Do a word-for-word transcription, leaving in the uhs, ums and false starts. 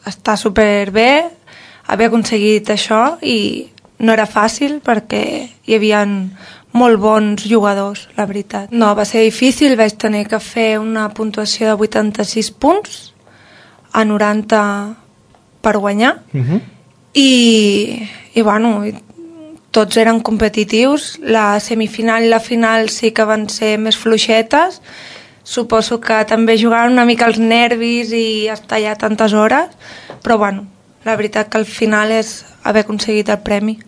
està superbé haver aconseguit això i no era fàcil perquè hi havia molt bons jugadors, la veritat. No, va ser difícil, vaig tenir que fer una puntuació de vuitanta-sis punts a noranta per guanyar uh-huh. i, i bueno, tots eren competitius. La semifinal i la final sí que van ser més fluixetes. Suposo que també jugaven una mica els nervis i estar allà tantes hores, però bueno, la veritat que al final és haver aconseguit el premi.